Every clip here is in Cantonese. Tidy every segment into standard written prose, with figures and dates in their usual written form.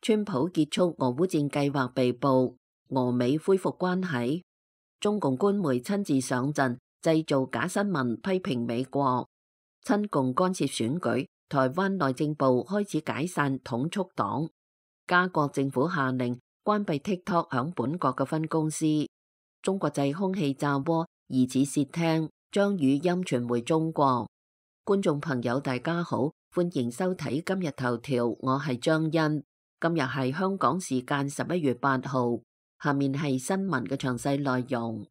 川普結束俄烏戰計劃被捕，俄美恢復關係。中共官媒親自上陣，製造假新聞，批評美國親共干涉選舉。台灣內政部開始解散統促黨。加國政府下令關閉 TikTok 響本國嘅分公司。中國製空氣炸鍋疑似竊聽，將語音傳回中國。觀眾朋友大家好，歡迎收睇今日頭條，我係張欣。今日係香港時間11月8號，下面係新聞嘅詳細內容。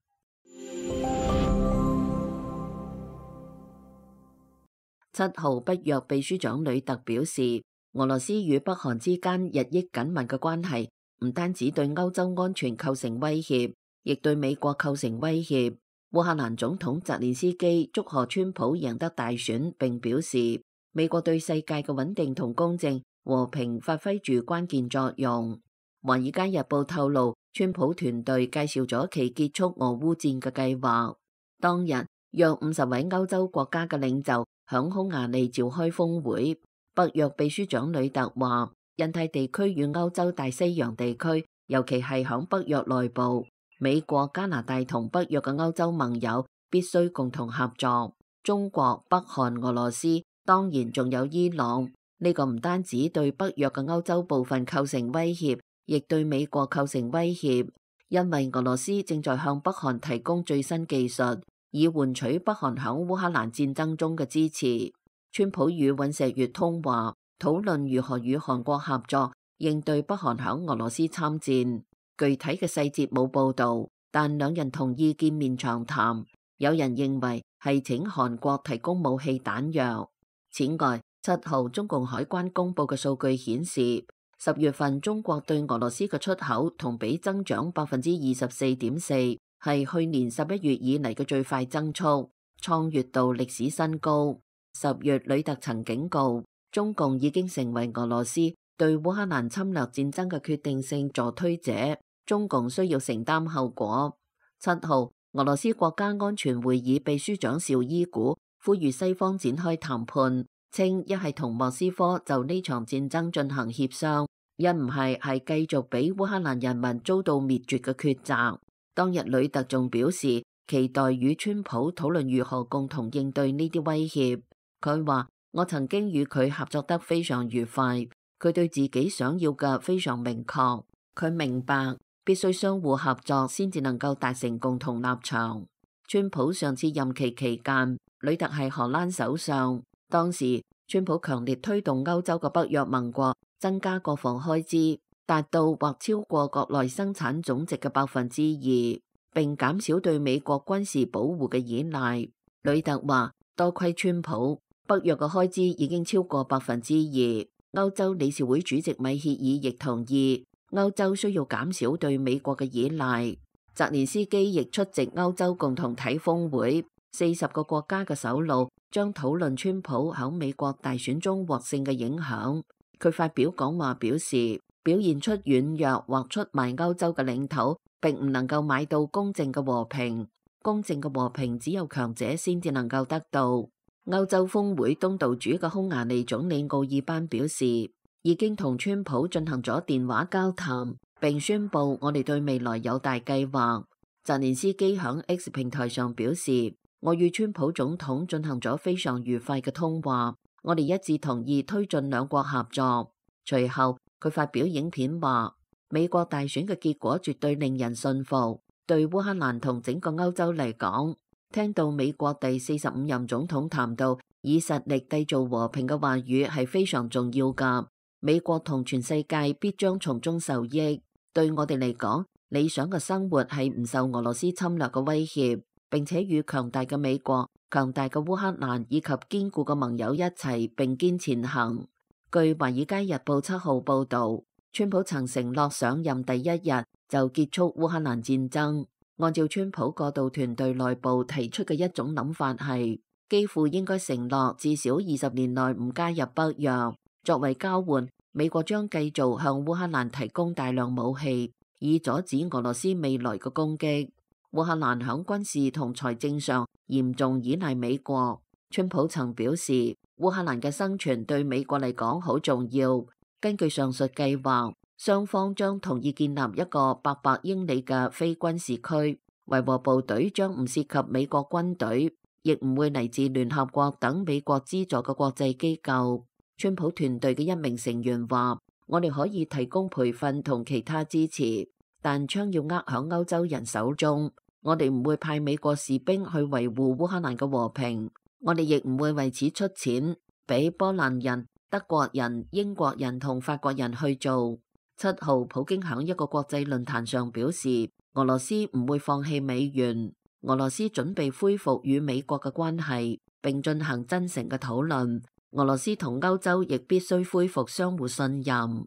7號北約秘書長呂特表示，俄羅斯與北韓之間日益緊密嘅關係，唔單止對歐洲安全構成威脅，亦對美國構成威脅。烏克蘭總統澤連斯基祝賀川普贏得大選，並表示美國對世界嘅穩定同公正和平發揮住關鍵作用。華爾街日報透露，川普團隊介紹咗其結束俄烏戰嘅計劃。當日，約50位歐洲國家嘅領袖響匈牙利召開峰會。北約秘書長呂特話，印太地區與歐洲大西洋地區，尤其係響北約內部，美國、加拿大同北約嘅歐洲盟友必須共同合作。中國、北韓、俄羅斯，當然仲有伊朗。呢個唔單止對北約嘅歐洲部分構成威脅，亦對美國構成威脅，因為俄羅斯正在向北韓提供最新技術，以換取北韓響烏克蘭戰爭中嘅支持。川普與尹錫悅通話，討論如何與韓國合作應對北韓響俄羅斯參戰。具體嘅細節冇報導，但兩人同意見面長談。有人認為係請韓國提供武器彈藥。此外，7號中共海關公佈嘅數據顯示，10月份中國對俄羅斯嘅出口同比增長24.4%，係去年11月以嚟嘅最快增速，創月度歷史新高。10月，呂特曾警告，中共已經成為俄羅斯對烏克蘭侵略戰爭嘅決定性助推者，中共需要承擔後果。7號，俄羅斯國家安全會議秘書長紹伊古呼籲西方展開談判，稱一係同莫斯科就呢場戰爭進行協商，一唔係繼續俾烏克蘭人民遭到滅絕嘅抉擇。當日呂特仲表示，期待與川普討論如何共同應對呢啲威脅。佢話，我曾經與佢合作得非常愉快，佢對自己想要嘅非常明確，佢明白必須相互合作先至能夠達成共同立場。川普上次任期期間，呂特係荷蘭首相，當時川普強烈推動歐洲嘅北約盟國增加國防開支，達到或超過國內生產總值嘅2%，並減少對美國軍事保護嘅依賴。呂特話，多虧川普，北約嘅開支已經超過2%。歐洲理事會主席米歇爾亦同意，歐洲需要減少對美國嘅依賴。澤連斯基亦出席歐洲共同體峰會，40個國家嘅首腦將討論川普喺美國大選中獲勝嘅影響。佢發表講話表示，表現出軟弱或出賣歐洲嘅領土，並唔能夠買到公正嘅和平。公正嘅和平只有強者先至能夠得到。歐洲峰會東道主嘅匈牙利總理奧爾班表示，已經同川普進行咗電話交談，並宣布我哋對未來有大計劃。澤連斯基響 X 平台上表示，我與川普總統進行咗非常愉快嘅通話，我哋一致同意推進兩國合作。隨後佢發表影片話，美國大選嘅結果絕對令人信服，對烏克蘭同整個歐洲嚟講，聽到美國第45任總統談到以實力締造和平嘅話語係非常重要㗎。美國同全世界必將從中受益。對我哋嚟講，理想嘅生活係唔受俄羅斯侵略嘅威脅，並且與強大嘅美國、強大嘅烏克蘭以及堅固嘅盟友一齊並肩前行。據華爾街日報7號報導，川普曾承諾上任第一日就結束烏克蘭戰爭。按照川普過渡團隊內部提出嘅一種諗法係，幾乎應該承諾至少20年內唔加入北約。作為交換，美國將繼續向烏克蘭提供大量武器，以阻止俄羅斯未來嘅攻擊。烏克蘭響軍事同財政上嚴重依賴美國。川普曾表示，烏克蘭嘅生存對美國嚟講好重要。根據上述計劃，雙方將同意建立一個800英里嘅非軍事區，維和部隊將唔涉及美國軍隊，亦唔會嚟自聯合國等美國資助嘅國際機構。川普團隊嘅一名成員話：我哋可以提供培訓同其他支持，但槍要握響歐洲人手中。我哋唔會派美國士兵去維護烏克蘭嘅和平，我哋亦唔會為此出錢，俾波蘭人、德國人、英國人同法國人去做。7號，普京響一個國際論壇上表示，俄羅斯唔會放棄美元，俄羅斯準備恢復與美國嘅關係，並進行真誠嘅討論。俄羅斯同歐洲亦必須恢復相互信任。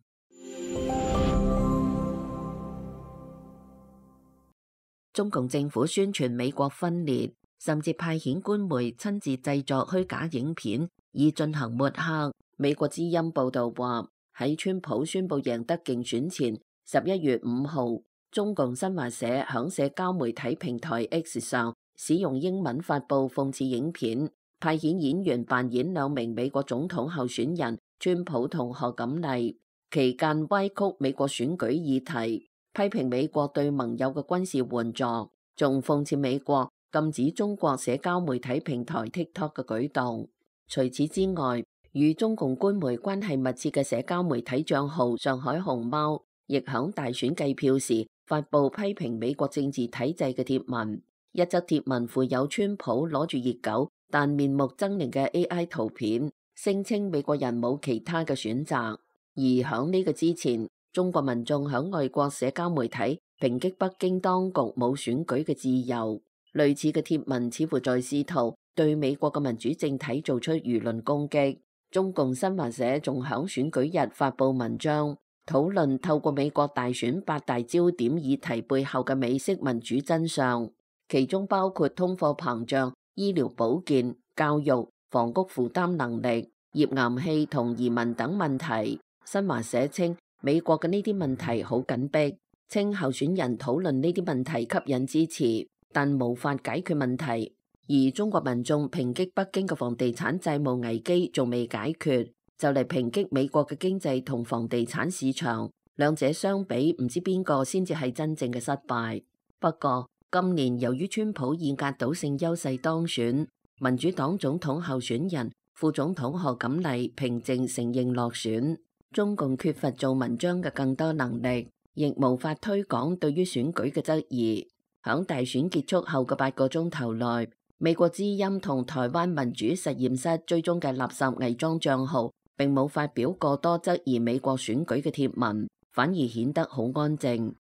中共政府宣傳美國分裂，甚至派遣官媒親自製作虛假影片，以進行抹黑。美國之音報道話，喺川普宣布贏得競選前，11月5號，中共新華社響社交媒體平台 X 上使用英文發布諷刺影片，派遣演員扮演2名美國總統候選人川普同賀錦麗，期間歪曲美國選舉議題，批評美國對盟友嘅軍事援助，仲諷刺美國禁止中國社交媒體平台 TikTok 嘅舉動。除此之外，與中共官媒關係密切嘅社交媒體賬號上海熊貓，亦響大選計票時發布批評美國政治體制嘅貼文。一則貼文附有川普攞住熱狗但面目猙獰嘅 AI 圖片，聲稱美國人冇其他嘅選擇。而響呢個之前，中國民眾響外國社交媒體抨擊北京當局冇選舉嘅自由。類似嘅貼文似乎在試圖對美國嘅民主政體做出輿論攻擊。中共新華社仲響選舉日發布文章，討論透過美國大選8大焦點議題背後嘅美式民主真相，其中包括通貨膨脹、醫療保健、教育、房屋負擔能力、頁岩氣同移民等問題。新華社稱美國嘅呢啲問題好緊迫，稱候選人討論呢啲問題吸引支持，但無法解決問題。而中國民眾抨擊北京嘅房地產債務危機仲未解決，就嚟抨擊美國嘅經濟同房地產市場，兩者相比，唔知邊個先至係真正嘅失敗。不過今年由於川普以壓倒性優勢當選，民主黨總統候選人、副總統賀錦麗平靜承認落選。中共缺乏做文章嘅更多能力，亦無法推廣對於選舉嘅質疑。響大選結束後嘅8個鐘頭內，美國之音同台灣民主實驗室追蹤嘅垃圾偽裝賬號並冇發表過多質疑美國選舉嘅貼文，反而顯得好安靜。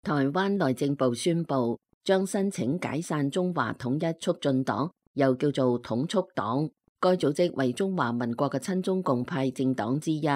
台灣內政部宣布將申請解散中華統一促進黨，又叫做統促黨。該組織為中華民國嘅親中共派政黨之一，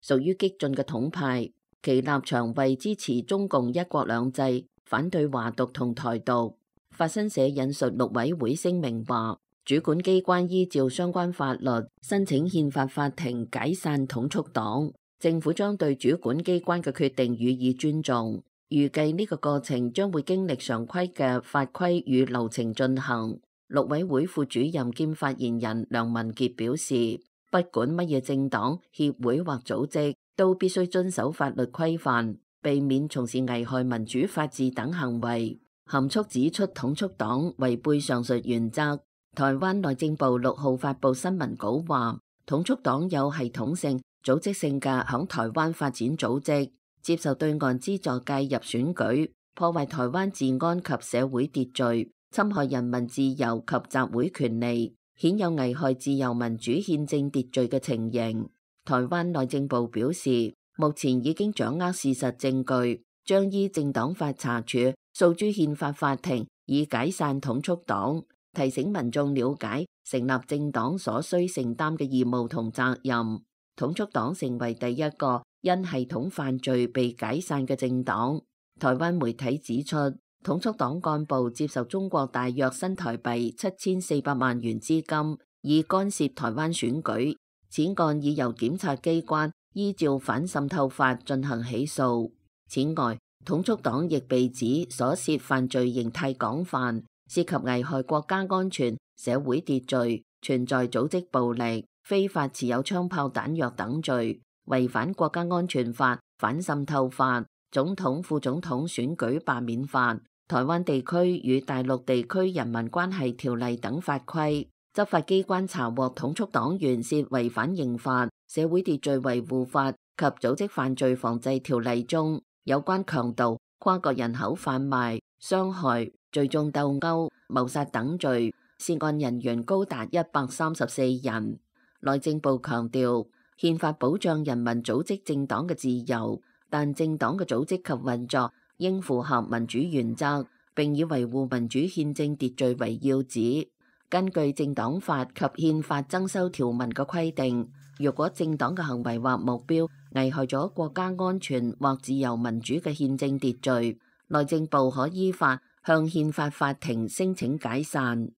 屬於激進嘅統派。其立場為支持中共一國兩制，反對華獨同台獨。法新社引述陸委會聲明話，主管機關依照相關法律申請憲法法庭解散統促黨，政府將對主管機關嘅決定予以尊重。預計呢個過程將會經歷常規嘅法規與流程進行。陸委會副主任兼發言人梁文傑表示，不管乜嘢政黨、協會或組織，都必須遵守法律規範，避免從事危害民主法治等行為。含蓄指出，統促黨違背上述原則。台灣內政部6號發布新聞稿話，統促黨有系統性、組織性嘅響台灣發展組織，接受對岸資助介入選舉，破壞台灣治安及社會秩序，侵害人民自由及集會權利，顯有危害自由民主憲政秩序嘅情形。台灣內政部表示，目前已經掌握事實證據，將依政黨法查處，訴諸憲法法庭，以解散統促黨，提醒民眾了解成立政黨所需承擔嘅義務同責任。統促黨成為第一個因系統犯罪被解散嘅政黨。台灣媒體指出，統促黨幹部接受中國大約新台幣7400萬元資金，以干涉台灣選舉。此案已由檢察機關依照反滲透法進行起訴。此外，統促黨亦被指所涉犯罪形態廣泛，涉及危害國家安全、社會秩序、存在組織暴力、非法持有槍炮彈藥等罪，違反國家安全法、反滲透法、總統、副總統選舉罷免法、台灣地區與大陸地區人民關係條例等法規。執法機關查獲統促黨員涉違反刑法、社會秩序維護法及組織犯罪防治條例中有關強盜、跨國人口販賣、傷害、聚眾鬥毆、謀殺等罪，涉案人員高達134人。內政部強調，憲法保障人民組織政黨嘅自由，但政黨嘅組織及運作應符合民主原則，並以維護民主憲政秩序為要旨。根據政黨法及憲法增修條文嘅規定，若果政黨嘅行為或目標危害咗國家安全或自由民主嘅憲政秩序，內政部可依法向憲法法庭申請解散。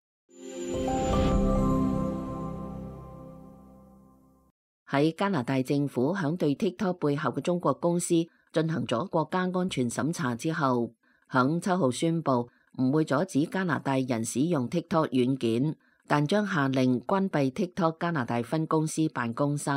喺加拿大政府響對 TikTok 背後嘅中國公司進行咗國家安全審查之後，響7號宣布唔會阻止加拿大人使用 TikTok 軟件，但將下令關閉 TikTok 加拿大分公司辦公室。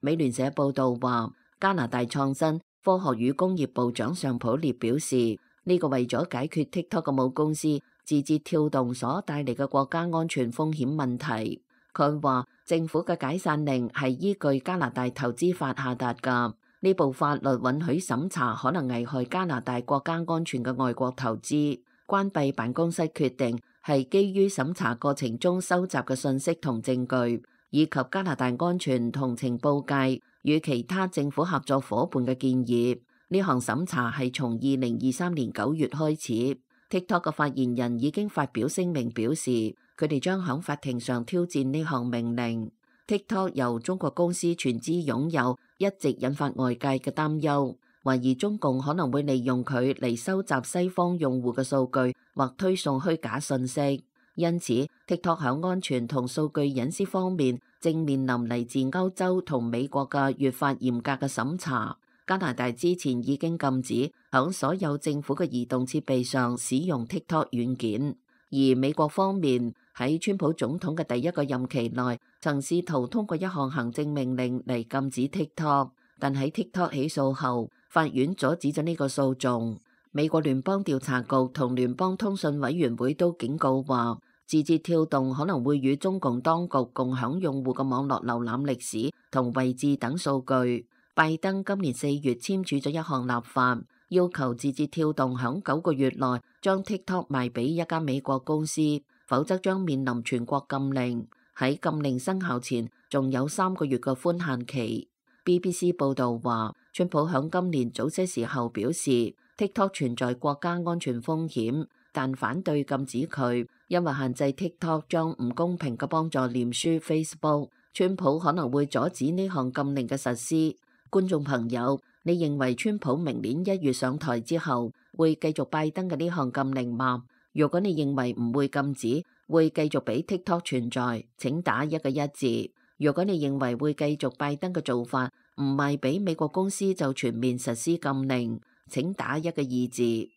美聯社報道話，加拿大創新、科學與工業部長尚普列表示，呢個為咗解決 TikTok 嘅母公司字節跳動所帶嚟嘅國家安全風險問題。佢話政府嘅解散令係依據加拿大投資法下達㗎，呢部法律允許審查可能危害加拿大國家安全嘅外國投資。關閉辦公室決定係基於審查過程中收集嘅信息同證據，以及加拿大安全同情報界與其他政府合作夥伴嘅建議。呢項審查係從2023年9月開始。TikTok 嘅發言人已經發表聲明表示，佢哋將響法庭上挑戰呢項命令。TikTok 由中國公司全資擁有，一直引發外界嘅擔憂，懷疑中共可能會利用佢嚟收集西方用戶嘅數據或推送虛假信息。因此 TikTok 響安全同數據隱私方面正面臨嚟自歐洲同美國嘅越發嚴格嘅審查。加拿大之前已經禁止響所有政府嘅移動設備上使用 TikTok 軟件，而美國方面喺川普總統嘅第一個任期內曾試圖通過一項行政命令嚟禁止 TikTok， 但喺 TikTok 起訴後，法院阻止咗呢個訴訟。美國聯邦調查局同聯邦通訊委員會都警告話，字節跳動可能會與中共當局共享用戶嘅網絡瀏覽歷史同位置等數據。拜登今年4月簽署咗一項立法，要求字節跳動響9個月內將 TikTok 賣俾一家美國公司，否則將面臨全國禁令。喺禁令生效前，仲有3個月嘅寬限期。BBC 報道話，川普響今年早些時候表示 TikTok 存在國家安全風險，但反對禁止佢，因為限制 TikTok 將唔公平嘅幫助臉書 Facebook。川普可能會阻止呢項禁令嘅實施。觀眾朋友，你認為川普明年1月上台之後會繼續拜登嘅呢項禁令嗎？如果你認為唔會禁止，會繼續俾 TikTok 存在，請打一個1字。如果你認為會繼續拜登嘅做法，唔賣俾美國公司就全面實施禁令，請打一個2字。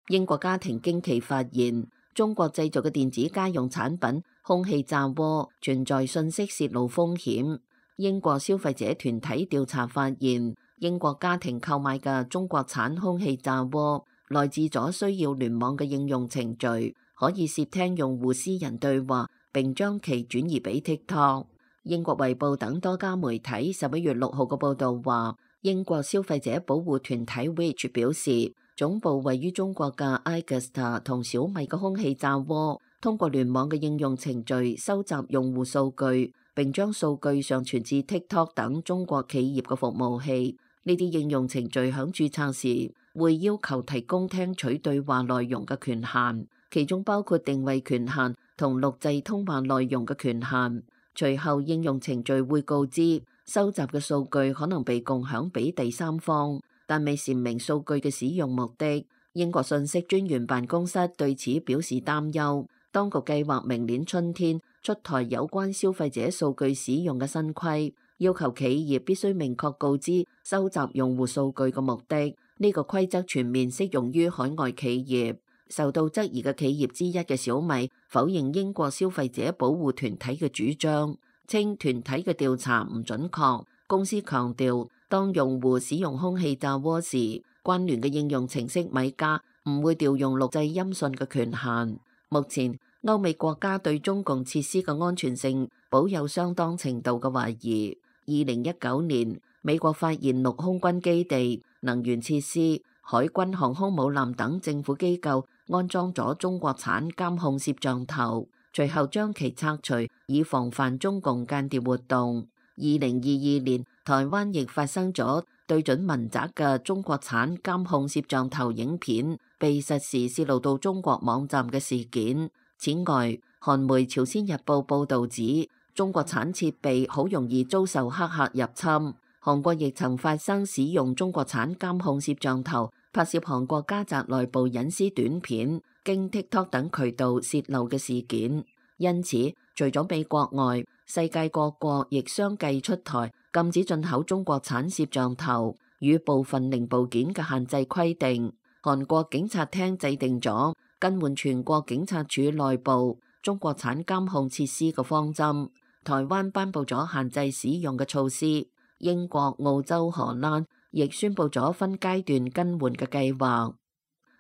英國家庭驚奇發現，中國製造嘅電子家用產品空氣炸鍋存在信息洩露風險。英國消費者團體調查發現，英國家庭購買嘅中國產空氣炸鍋來自咗需要聯網嘅應用程序，可以竊聽用戶私人對話，並將其轉移俾 TikTok。英國衛報等多家媒體11月6號嘅報導話，英國消費者保護團體 Which 表示，總部位於中國嘅 iGusta 同小米嘅空氣炸鍋，通過聯網嘅應用程序收集用戶數據，並將數據上傳至 TikTok 等中國企業嘅服務器。呢啲應用程序響註冊時會要求提供聽取對話內容嘅權限，其中包括定位權限同錄製通話內容嘅權限。隨後應用程序會告知收集嘅數據可能被共享俾第三方，但未闡明數據嘅使用目的。英國信息專員辦公室對此表示擔憂，當局計劃明年春天出台有關消費者數據使用嘅新規，要求企業必須明確告知收集用戶數據嘅目的。呢個規則全面適用於海外企業。受到質疑嘅企業之一嘅小米否認英國消費者保護團體嘅主張，稱團體嘅調查唔準確。公司強調，當用戶使用空氣炸鍋時，關聯嘅應用程式米加唔會調用錄製音訊嘅權限。目前，歐美國家對中共設施嘅安全性保有相當程度嘅懷疑。2019年，美國發現陸空軍基地、能源設施、海軍航空母艦等政府機構安裝咗中國產監控攝像頭，隨後將其拆除，以防範中共間諜活動。2022年，台灣亦發生咗對準民宅嘅中國產監控攝像頭影片被實時泄露到中國網站嘅事件。此外，韓媒《朝鮮日報》報導指，中國產設備好容易遭受黑客入侵。韓國亦曾發生使用中國產監控攝像頭拍攝韓國家宅內部隱私短片，經 TikTok 等渠道泄露嘅事件。因此，除咗美國外，世界各國亦相繼出台禁止進口中國產攝像頭與部分零部件嘅限制規定。韓國警察廳制定咗更換全國警察署內部中國產監控設施嘅方針。台灣頒布咗限制使用嘅措施。英國、澳洲、荷蘭亦宣布咗分階段更換嘅計劃。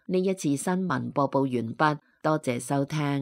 呢一次新聞播報完畢，多謝收聽。